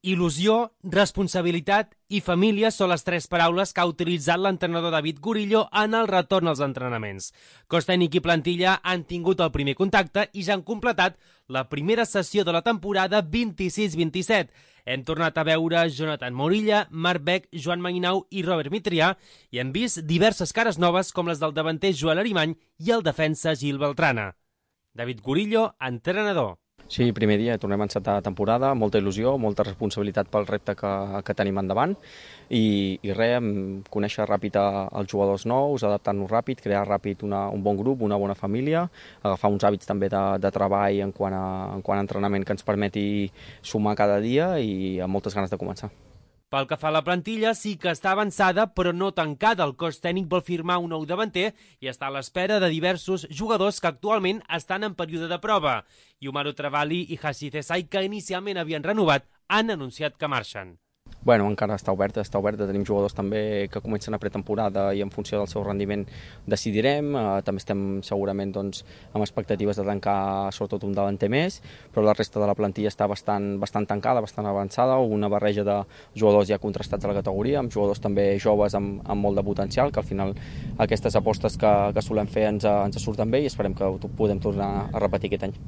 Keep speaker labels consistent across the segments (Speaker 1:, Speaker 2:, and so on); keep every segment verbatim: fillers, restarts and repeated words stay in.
Speaker 1: Il·lusió, responsabilitat i família són les tres paraules que ha utilitzat l'entrenador David Gurillo en el retorn als entrenaments. Cos tècnic i plantilla han tingut el primer contacte i ja han completat la primera sessió de la temporada vint-i-sis vint-i-set. Hem tornat a veure Jonathan Morilla, Marc Beck, Joan Mainau i Robert Mitrià i hem vist diverses cares noves com les del davanter Joel Arimany i el defensa Gil Beltrana. David Gurillo, entrenador.
Speaker 2: Sí, primer dia, tornem a encetar temporada, molta il·lusió, molta responsabilitat pel repte que, que tenim endavant i, i res, conèixer ràpid els jugadors nous, adaptar-nos ràpid, crear ràpid una, un bon grup, una bona família, agafar uns hàbits també de, de treball en quant, a, en quant a entrenament que ens permeti sumar cada dia i amb moltes ganes de començar.
Speaker 1: Pel que fa a la plantilla, sí que està avançada, però no tancada. El cos tècnic vol firmar un nou davanter i està a l'espera de diversos jugadors que actualment estan en període de prova. Yumaro Travali i Hashi Desai, que inicialment havien renovat, han anunciat que marxen.
Speaker 2: Bueno, encara està oberta, està oberta. Tenim jugadors també que comencen a pretemporada i en funció del seu rendiment decidirem. Uh, també estem segurament doncs, amb expectatives de tancar sobretot un davanter més, però la resta de la plantilla està bastant, bastant tancada, bastant avançada, una barreja de jugadors ja contrastats a la categoria, amb jugadors també joves amb, amb molt de potencial, que al final aquestes apostes que, que solem fer ens, ens surten bé i esperem que ho podem tornar a repetir aquest any.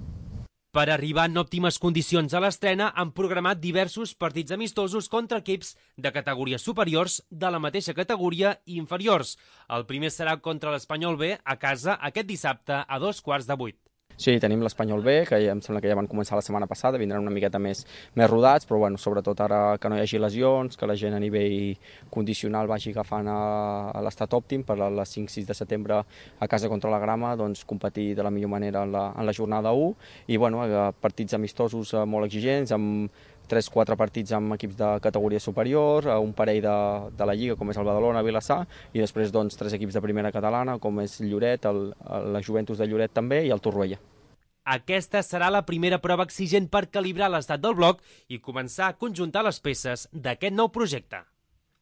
Speaker 1: Per arribar en òptimes condicions a l'estrena, han programat diversos partits amistosos contra equips de categories superiors, de la mateixa categoria i inferiors. El primer serà contra l'Espanyol B a casa aquest dissabte a dos quarts de vuit.
Speaker 2: Sí, tenim l'Espanyol B, que em sembla que ja van començar la setmana passada, vindran una miqueta més, més rodats, però bueno, sobretot ara que no hi hagi lesions, que la gent a nivell condicional vagi agafant a, a l'estat òptim per a les cinc sis de setembre a casa contra la Grama, doncs competir de la millor manera en la, en la jornada u i bueno, partits amistosos molt exigents, amb tres quatre partits amb equips de categoria superior, un parell de, de la Lliga, com és el Badalona, Vilassar, i després doncs, tres equips de primera catalana, com és Lloret, el, la Juventus de Lloret també, i el Torroella.
Speaker 1: Aquesta serà la primera prova exigent per calibrar l'estat del bloc i començar a conjuntar les peces d'aquest nou projecte.